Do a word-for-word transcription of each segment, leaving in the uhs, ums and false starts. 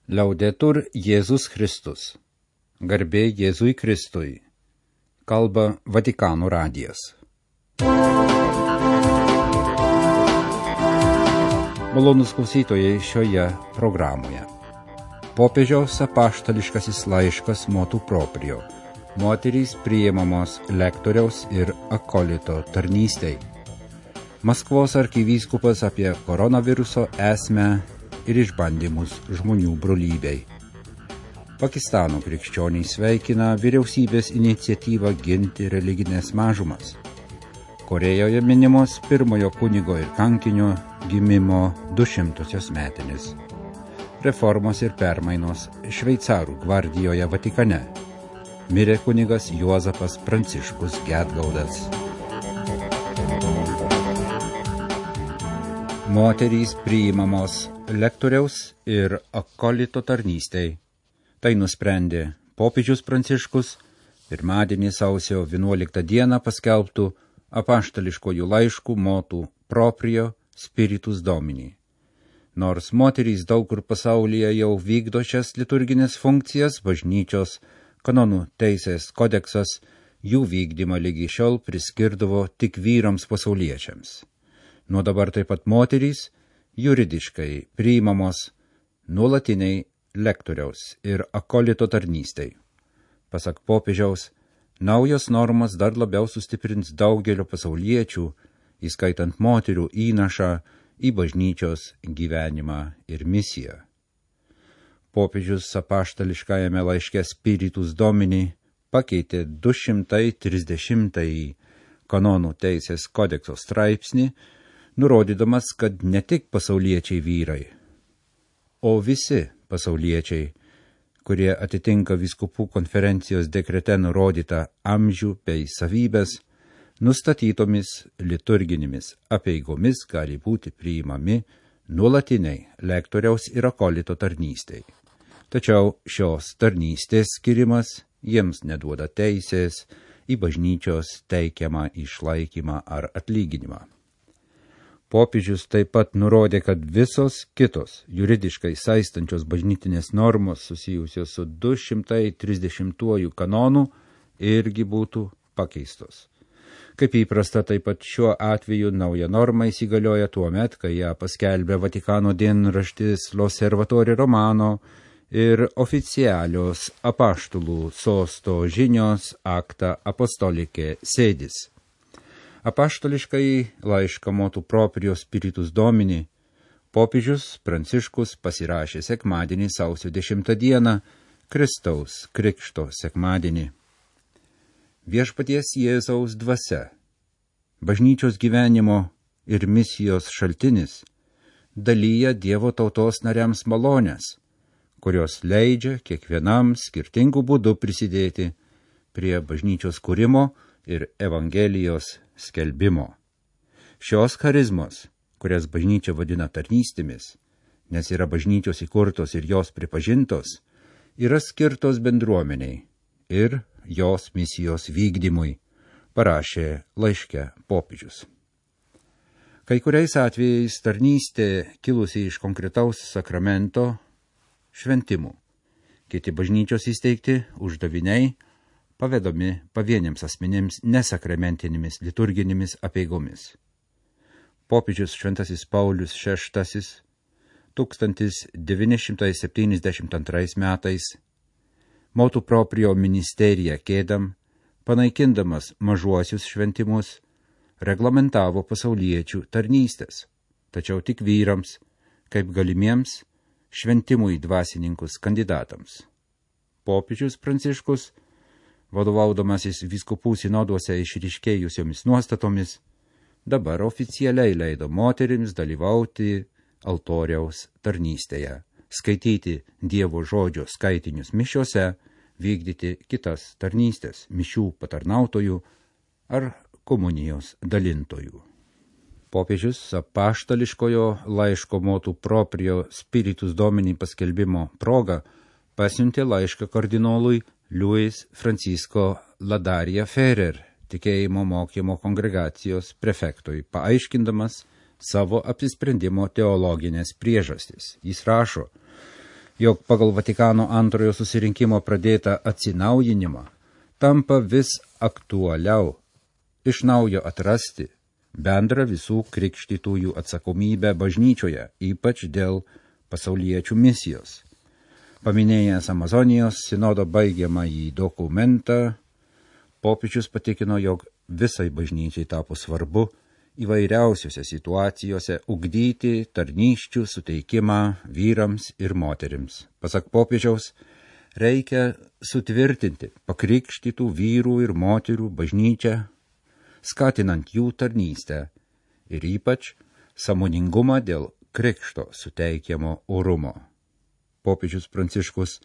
Liaudetur Jėzus Kristus. Garbė Jėzui Kristui. Kalba Vatikano radijas. Malonūs klausytojai šioje programoje. Popiežiaus apaštališkasis laiškas motu proprio. Moterys priimamos lektoriaus ir akolito tarnystei. Maskvos arkivyskupas apie koronaviruso esmę ir išbandymus žmonių brolybei. Pakistano krikščioniai sveikina vyriausybės iniciatyvą ginti religinės mažumas. Korejoje minimos pirmojo kunigo ir kankinio gimimo dušimtosios metinės. Reformos ir permainos Šveicarų gvardijoje Vatikane. Mirė kunigas Juozapas Pranciškus Gedgaudas. Moterys priimamos lektoriaus ir akolito tarnystei. Tai nusprendė popiežius Pranciškus pirmadienį sausio vienuoliktą dieną paskelbtų apaštališkojų laiškų motu proprio spiritus domini. Nors moterys daug kur pasaulyje jau vykdo šias liturginės funkcijas, bažnyčios kanonų teisės kodeksas jų vykdymą lygi šiol priskirdavo tik vyrams pasauliečiams. Nuo dabar taip pat moterys juridiškai priimamos nuolatiniai lektoriaus ir akolito tarnystei. Pasak popiežiaus, naujos normos dar labiau sustiprins daugelio pasauliečių, įskaitant moterių įnašą į bažnyčios gyvenimą ir misiją. Popiežius apaštališkajame laiške Spiritus Domini pakeitė du šimtai trisdešimtąjį kanonų teisės kodekso straipsnį, nurodydamas, kad ne tik pasauliečiai vyrai, o visi pasauliečiai, kurie atitinka vyskupų konferencijos dekrete nurodytą amžių bei savybės, nustatytomis liturginėmis apeigomis gali būti priimami nuolatiniai lektoriaus ir akolito tarnystei. Tačiau šios tarnystės skirimas jiems neduoda teisės į bažnyčios teikiamą išlaikymą ar atlyginimą. Popiežius taip pat nurodė, kad visos kitos juridiškai saistančios bažnytinės normos susijusios su du šimtai trisdešimtuoju kanonu irgi būtų pakeistos. Kaip įprasta, taip pat šiuo atveju nauja norma įsigalioja tuo met, kai ją paskelbė Vatikano dienraštis L'Osservatore Romano ir oficialios apaštalų sosto žinios Acta Apostolicae Sedis. Apaštališkai laišką motu proprio spiritus domini popiežius Pranciškus pasirašė sekmadienį sausio dešimtą dieną, Kristaus krikšto sekmadienį. Viešpaties Jėzaus dvasia, bažnyčios gyvenimo ir misijos šaltinis, dalyja Dievo tautos nariams malonės, kurios leidžia kiekvienam skirtingų būdų prisidėti prie bažnyčios kūrimo ir Evangelijos skelbimo. Šios charizmos, kurias bažnyčia vadina tarnystėmis, nes yra bažnyčios įkurtos ir jos pripažintos, yra skirtos bendruomeniai ir jos misijos vykdymui, parašė laiške popiežius. Kai kuriais atvejais tarnystė kilusi iš konkretaus sakramento šventimų, kiti bažnyčios įsteigti uždaviniai pavedami pavieniams asmenėms nesakramentinėmis liturginėmis apeigomis. Popiežius Šventasis Paulius šeštasis tūkstantis devyni šimtai septyniasdešimt antrais metais motu proprio ministeriją kėdam, panaikindamas mažuosius šventimus, reglamentavo pasauliečių tarnystės, tačiau tik vyrams, kaip galimiems šventimui dvasininkus kandidatams. Popiežius Pranciškus, vadovaudamasis vyskupų sinoduose išryškėjusiomis nuostatomis, dabar oficialiai leido moterims dalyvauti altoriaus tarnystėje, skaityti Dievo žodžio skaitinius mišiose, vykdyti kitas tarnystės, mišių patarnautojų ar komunijos dalintojų. Popiežius apaštališkojo laiško motu proprio spiritus domini paskelbimo proga pasiuntė laišką kardinolui Luis Francisco Ladaria Ferrer, tikėjimo mokymo kongregacijos prefektui, paaiškindamas savo apsisprendimo teologinės priežastis. Jis rašo: jog pagal Vatikano antrojo susirinkimo pradėtą atsinaujinimą tampa vis aktualiau iš naujo atrasti bendrą visų krikštytųjų atsakomybę bažnyčioje, ypač dėl pasauliečių misijos. Paminėjęs Amazonijos sinodo baigiamąjį dokumentą, popiežius patikino, jog visai bažnyčiai tapo svarbu įvairiausiose situacijose ugdyti tarnysčių suteikimą vyrams ir moterims. Pasak popiežiaus, reikia sutvirtinti pakrikštytų vyrų ir moterų bažnyčią, skatinant jų tarnystę ir ypač sąmoningumą dėl krikšto suteikiamo orumo. Popiežius Pranciškus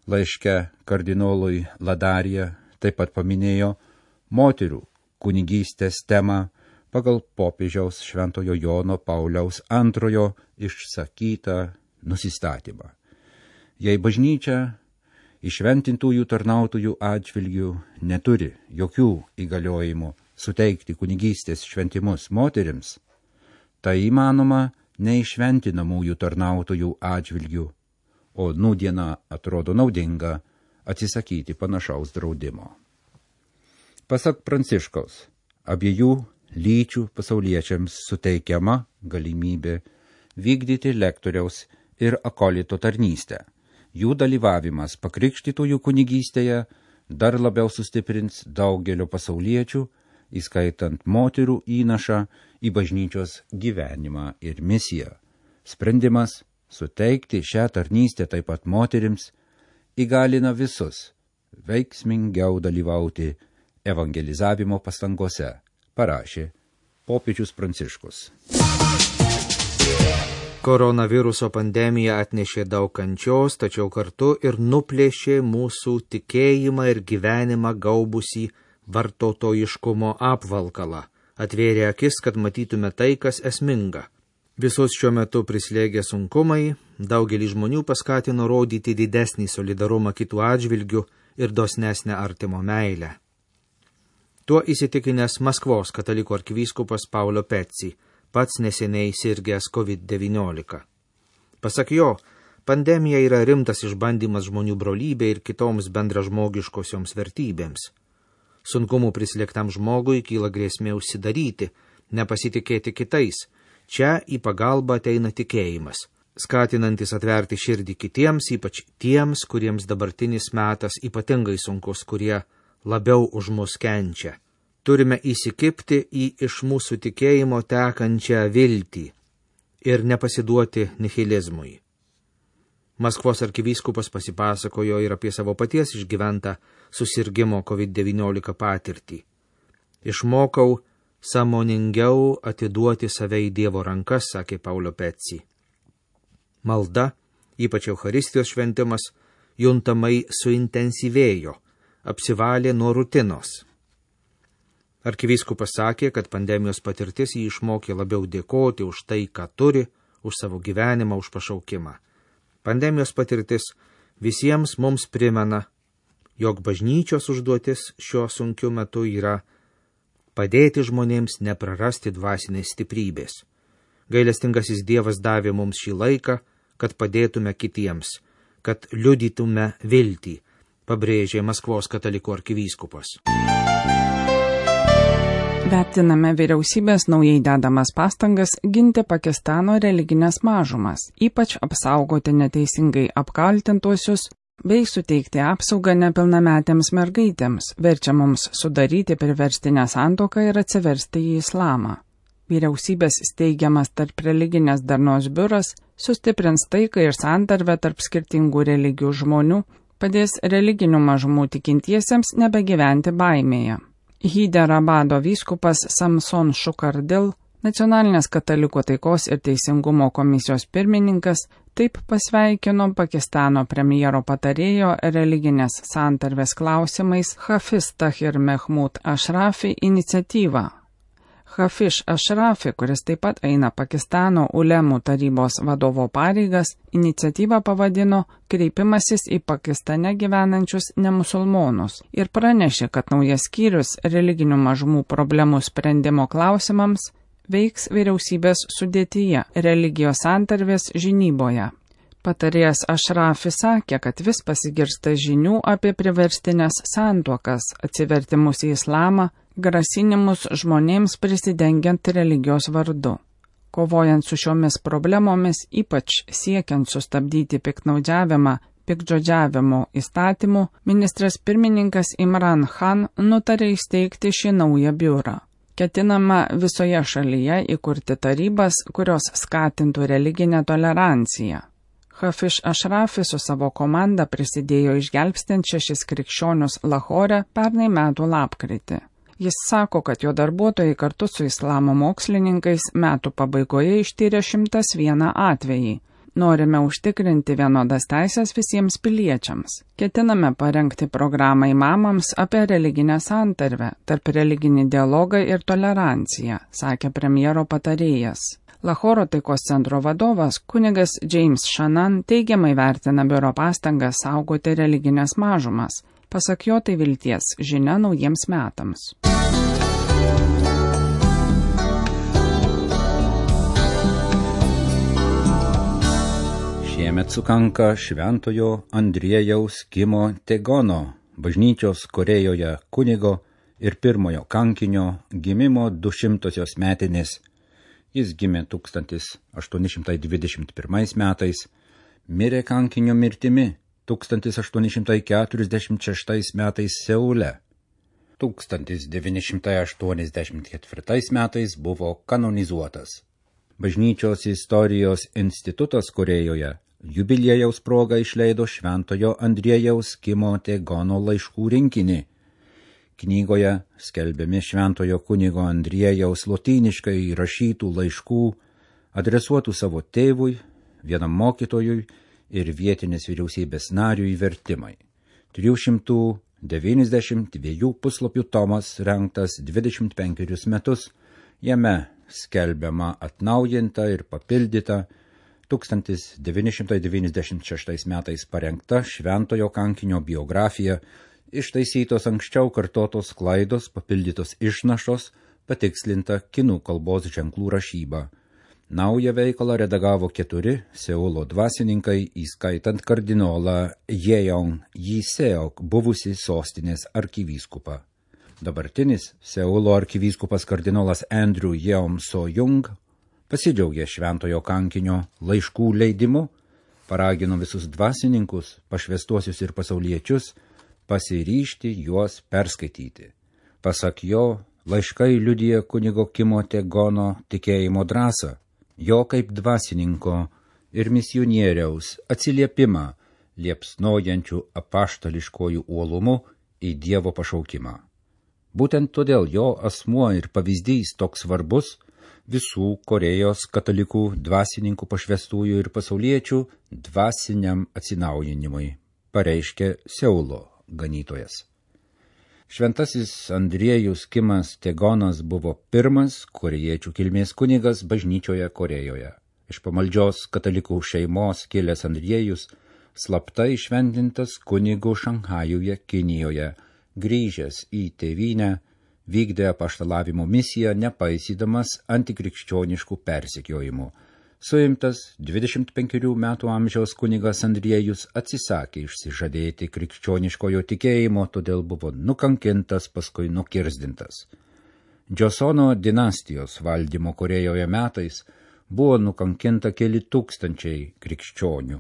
laiške kardinolui Ladarija taip pat paminėjo moterų kunigystės temą pagal popiežiaus Šventojo Jono Pauliaus antrojo išsakytą nusistatymą. Jei bažnyčia įšventintųjų tarnautojų atžvilgių neturi jokių įgaliojimų suteikti kunigystės šventimus moterims, tai įmanoma neišventinamųjų tarnautojų atžvilgių, o nūdiena atrodo naudinga atsisakyti panašaus draudimo. Pasak Pranciškaus, abiejų lyčių pasauliečiams suteikiama galimybė vykdyti lektoriaus ir akolito tarnystę. Jų dalyvavimas pakrikštytųjų kunigystėje dar labiau sustiprins daugelio pasauliečių, įskaitant moterų įnašą į bažnyčios gyvenimą ir misiją. Sprendimas suteikti šią tarnystę taip pat moterims įgalina visus veiksmingiau dalyvauti evangelizavimo pastangose, parašė popiežius Pranciškus. Koronaviruso pandemija atnešė daug kančios, tačiau kartu ir nuplėšė mūsų tikėjimą ir gyvenimą gaubusį vartotojiškumo apvalkalą, atvėrė akis, kad matytume tai, kas esminga. Visus šiuo metu prislėgę sunkumai daugelį žmonių paskatino rodyti didesnį solidarumą kitų atžvilgių ir dosnesnę artimo meilę. Tuo įsitikinęs Maskvos katalikų arkivyskupas Paulo Pezzi, pats neseniai sirgęs kovid devyniolika. Pasak jo, pandemija yra rimtas išbandymas žmonių brolybei ir kitoms bendražmogiškosioms vertybėms. Sunkumų prislėgtam žmogui kyla grėsmė užsidaryti, nepasitikėti kitais. Čia į pagalbą ateina tikėjimas, skatinantis atverti širdį kitiems, ypač tiems, kuriems dabartinis metas ypatingai sunkus, kurie labiau už mus kenčia. Turime įsikibti į iš mūsų tikėjimo tekančią viltį ir nepasiduoti nihilizmui. Maskvos arkivyskupas pasipasakojo ir apie savo paties išgyventą susirgimo kovid devyniolika patirtį. Išmokau sąmoningiau atiduoti save į Dievo rankas, sakė Paulo Pezzi. Malda, ypač Eucharistijos šventimas, juntamai suintensyvėjo, apsivalė nuo rutinos. Arkivyskupas sakė, kad pandemijos patirtis jį išmokė labiau dėkoti už tai, ką turi, už savo gyvenimą, už pašaukimą. Pandemijos patirtis visiems mums primena, jog bažnyčios užduotis šiuo sunkiu metu yra padėti žmonėms neprarasti dvasinės stiprybės. Gailestingasis Dievas davė mums šį laiką, kad padėtume kitiems, kad liudytume viltį, pabrėžė Maskvos katalikų arkivyskupas. Vertiname vyriausybės naujai dedamas pastangas ginti Pakistano religinės mažumas, ypač apsaugoti neteisingai apkaltintuosius bei suteikti apsaugą nepilnametėms mergaitėms, verčia mums sudaryti priverstinę santuoką ir atsiversti į islamą. Vyriausybės steigiamas tarp religinės darnos biuras sustiprins taiką ir santarvę tarp skirtingų religijų žmonių, padės religinių mažumų tikintiesiems nebegyventi baimėje. Hyderabado vyskupas Samson Shukardil, Nacionalinės katalikų taikos ir teisingumo komisijos pirmininkas, taip pasveikino Pakistano premjero patarėjo religinės santarvės klausimais Hafiz Tahir Mehmud Ashrafi iniciatyvą. Hafiz Ashrafi, kuris taip pat eina Pakistano ulemų tarybos vadovo pareigas, iniciatyvą pavadino kreipimasis į Pakistane gyvenančius nemusulmonus ir pranešė, kad naujas skyrius religinių mažumų problemų sprendimo klausimams veiks vyriausybės sudėtyje religijos santarvės žinyboje. Patarėjas Ašrafi sakė, kad vis pasigirsta žinių apie priverstinės santuokas, atsivertimus į islamą, grasinimus žmonėms prisidengiant religijos vardu. Kovojant su šiomis problemomis, ypač siekiant sustabdyti piktnaudžiavimą, piktžodžiavimo įstatymų, ministras pirmininkas Imran Khan nutarė įsteigti šį naują biurą. Ketinama visoje šalyje įkurti tarybas, kurios skatintų religinę toleranciją. Hafiz Ašrafi su savo komanda prisidėjo išgelbstinti šešis krikščionius Lahore pernai metų lapkritį. Jis sako, kad jo darbuotojai kartu su islamo mokslininkais metų pabaigoje ištyrė šimtas vieną atvejį. Norime užtikrinti vienodas teisės visiems piliečiams. Ketiname parengti programą imamams apie religinę santarvę, tarp religinį dialogą ir toleranciją, sakė premjero patarėjas. Lahoro taikos centro vadovas kunigas James Shannon teigiamai vertina biuro pastangas saugoti religinės mažumas. Pasak jo, tai vilties žinia naujiems metams. Šiemet sukanka šventojo Andriejaus Kimo Tegono, bažnyčios Korėjoje kunigo ir pirmojo kankinio gimimo dušimtosios metinės. Jis gimė tūkstantis aštuoni šimtai dvidešimt pirmais metais, mirė kankinio mirtimi tūkstantis aštuoni šimtai keturiasdešimt šeštais metais Seule. tūkstantis devyni šimtai aštuoniasdešimt ketvirtais metais buvo kanonizuotas. Bažnyčios istorijos institutas Korėjoje jubiliejaus proga išleido šventojo Andriejaus Kimo Tegono laiškų rinkinį. Knygoje skelbiami šventojo kunigo Andriejaus lotyniškai rašytų laiškų, adresuotų savo tėvui, vienam mokytojui ir vietinės vyriausybės nariui vertimai. trijų šimtų devyniasdešimt dviejų puslapių tomas rengtas dvidešimt penkerius metus, jame skelbiama atnaujinta ir papildyta tūkstantis devyni šimtai devyniasdešimt šeštais metais parengta šventojo kankinio biografija, ištaisytos anksčiau kartotos klaidos, papildytos išnašos, patikslinta kinų kalbos ženklų rašyba. Naują veikalą redagavo keturi Seulo dvasininkai, įskaitant kardinolą Jeong Jiseok, buvusi sostinės arkivyskupą. Dabartinis Seulo arkivyskupas kardinolas Andrew Yeom So-jung pasidžiaugė šventojo kankinio laiškų leidimu, paragino visus dvasininkus, pašvęstuosius ir pasauliečius pasiryžti juos perskaityti. Pasak jo, laiškai liudija kunigo Kimo Tegono tikėjimo drąsą, jo kaip dvasininko ir misionieriaus atsiliepimą liepsnojančių apaštališkojų uolumu į Dievo pašaukimą. Būtent todėl jo asmuo ir pavyzdys toks svarbus visų Korėjos katalikų dvasininkų pašvęstųjų ir pasauliečių dvasiniam atsinaujinimui, pareiškė Seulo ganytojas. Šventasis Andriejus Kimas Tegonas buvo pirmas korėjiečių kilmės kunigas bažnyčioje Korėjoje. Iš pamaldžios katalikų šeimos kilęs Andriejus slapta įšventintas kunigu Šanchajuje, Kinijoje, grįžęs į tėvynę, vykdė apaštalavimo misiją, nepaisydamas antikrikščioniškų persekiojimų. Suimtas dvidešimt penkerių metų amžiaus kunigas Andriejus atsisakė išsižadėti krikščioniškojo tikėjimo, todėl buvo nukankintas, paskui nukirzdintas. Džosono dinastijos valdymo Korėjoje metais buvo nukankinta keli tūkstančiai krikščionių.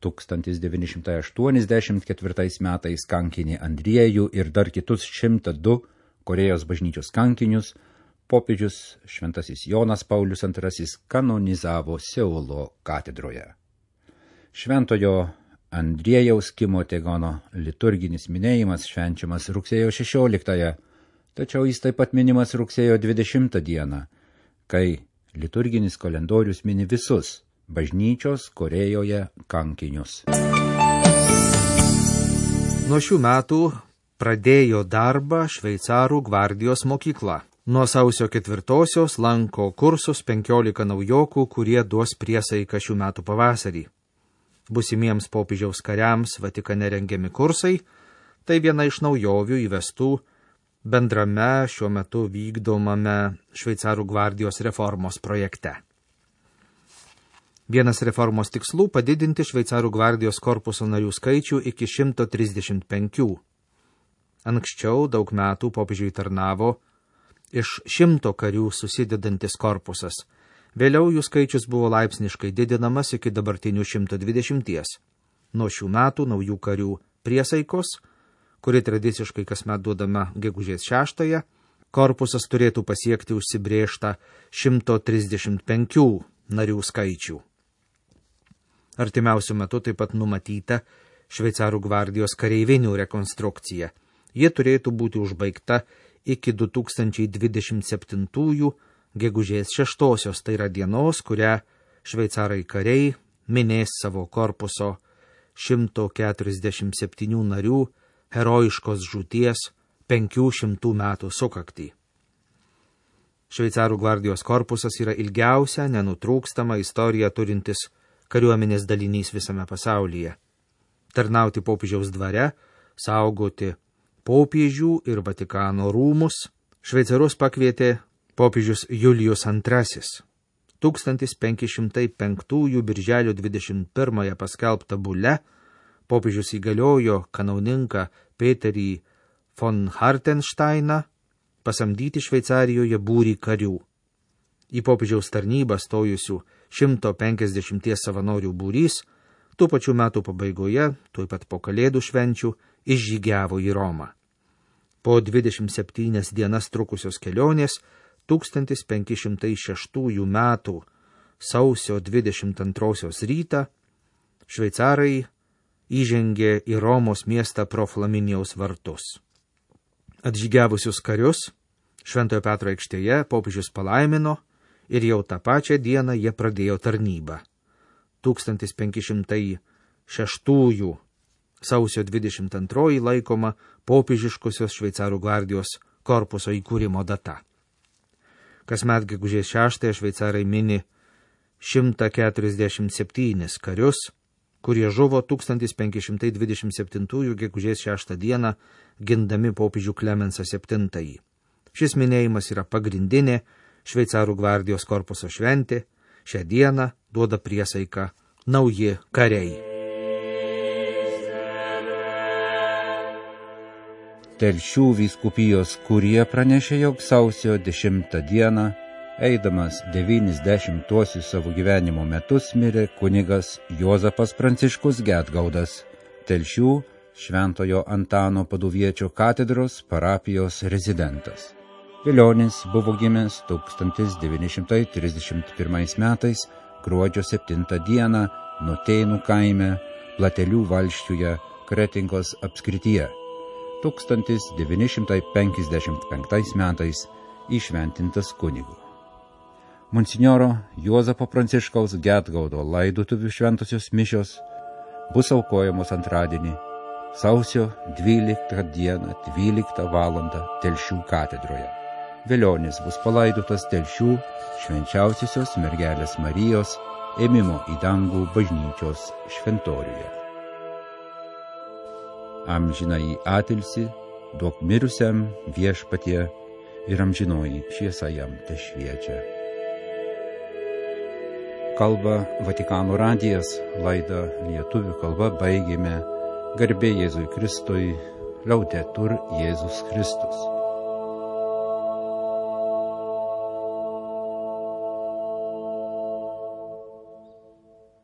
tūkstantis devyni šimtai aštuoniasdešimt ketvirtais metais kankinį Andriejų ir dar kitus šimtą du Korėjos bažnyčios kankinius popiežius šventasis Jonas Paulius antrasis kanonizavo Seulo katedroje. Šventojo Andriejaus Kimo Tegono liturginis minėjimas švenčiamas rugsėjo šešioliktąją, tačiau jis taip pat minimas rugsėjo dvidešimtą dieną, kai liturginis kalendorius mini visus bažnyčios Korėjoje kankinius. Nuo šių metų pradėjo darbą Šveicarų gvardijos mokykla. Nuo sausio ketvirtosios lanko kursus penkiolika naujokų, kurie duos priesaiką šių metų pavasarį. Būsimiems popiežiaus kariams Vatikane rengiami kursai, tai viena iš naujovių įvestų bendrame šiuo metu vykdomame Šveicarų gvardijos reformos projekte. Vienas reformos tikslų – padidinti šveicarų gvardijos korpuso narių skaičių iki šimto trisdešimt penkių. Anksčiau daug metų popiežiui tarnavo iš šimto karių susidedantis korpusas. Vėliau jų skaičius buvo laipsniškai didinamas iki dabartinių šimto dvidešimties. Nuo šių metų naujų karių priesaikos, kuri tradiciškai kasmet duodama gegužės šeštąją, korpusas turėtų pasiekti užsibrėžtą šimto trisdešimt penkių narių skaičių. Artimiausiu metu taip pat numatyta šveicarų gvardijos kareivinių rekonstrukcija. Ji turėtų būti užbaigta iki du tūkstančiai dvidešimt septintųjų gegužės šeštosios, tai yra dienos, kurią šveicarai kariai minės savo korpuso šimto keturiasdešimt septynių narių herojiškos žūties penkių šimtų metų sukaktį. Šveicarų gvardijos korpusas yra ilgiausia, nenutrūkstama istorija turintis kariuomenės dalinys visame pasaulyje. Tarnauti popiežiaus dvare, saugoti popiežių ir Vatikano rūmus, šveicarus pakvietė popiežius Julijus antrasis. tūkstantis penki šimtai penktųjų birželio dvidešimt pirmąją paskelbta bule popiežius įgaliojo kanauninką Peterį von Hartensteiną pasamdyti Šveicarijoje būrį karių. Į popiežiaus tarnybą stojusių šimto penkiasdešimties savanorių būrys tų pačių metų pabaigoje, tuoj pat po kalėdų švenčių, išžygiavo į Romą. Po dvidešimt septynias dienas trukusios kelionės tūkstantis penki šimtai šeštųjų metų sausio dvidešimt antrosios rytą šveicarai įžengė į Romos miestą pro Flaminijaus vartus. Atžygiavusius karius Šventojo Petro aikštėje popiežius palaimino ir jau tą pačią dieną jie pradėjo tarnybą. tūkstantis penki šimtai šeštųjų sausio dvidešimt antroji laikoma popiežiškosios šveicarų gvardijos korpuso įkūrimo data. Kasmet gegužės šeštąją šveicarai mini šimtą keturiasdešimt septynis karius, kurie žuvo tūkstantis penki šimtai dvidešimt septintųjų gegužės šeštą dieną gindami popiežių Klemensą septintąjį. Šis minėjimas yra pagrindinė šveicarų gvardijos korpuso šventė. Šią dieną duoda priesaiką nauji kariai. Telšių vyskupijos kurija pranešė, jog sausio dešimtą dieną, eidamas devyniasdešimtuosius savo gyvenimo metus, mirė kunigas Juozapas Pranciškus Gedgaudas, Telšių Šventojo Antano Paduviečio katedros parapijos rezidentas. Vilionis buvo gimęs tūkstantis devyni šimtai trisdešimt pirmais metais gruodžio septintą dieną Nutėnų kaime Platelių valsčiuje Kretingos apskrityje. tūkstantis devyni šimtai penkiasdešimt penktais metais įšventintas kunigu. Monsinjoro Juozapo Pranciškaus Gedgaudo laidotuvių šventosios mišios bus aukojamos antradienį, sausio dvyliktą dieną, dvyliktą valandą Telšių katedroje. Vilionis bus palaidotas Telšių švenčiausiosios mergelės Marijos ėmimo į dangų bažnyčios šventoriuje. Amžinąjį atilsį duok mirusiam Viešpatie ir amžinoji šviesa jam tešviečia. Kalba Vatikano radijas, laidą lietuvių kalba baigėme. Garbė Jėzui Kristui, Laudetur Jėzus Kristus.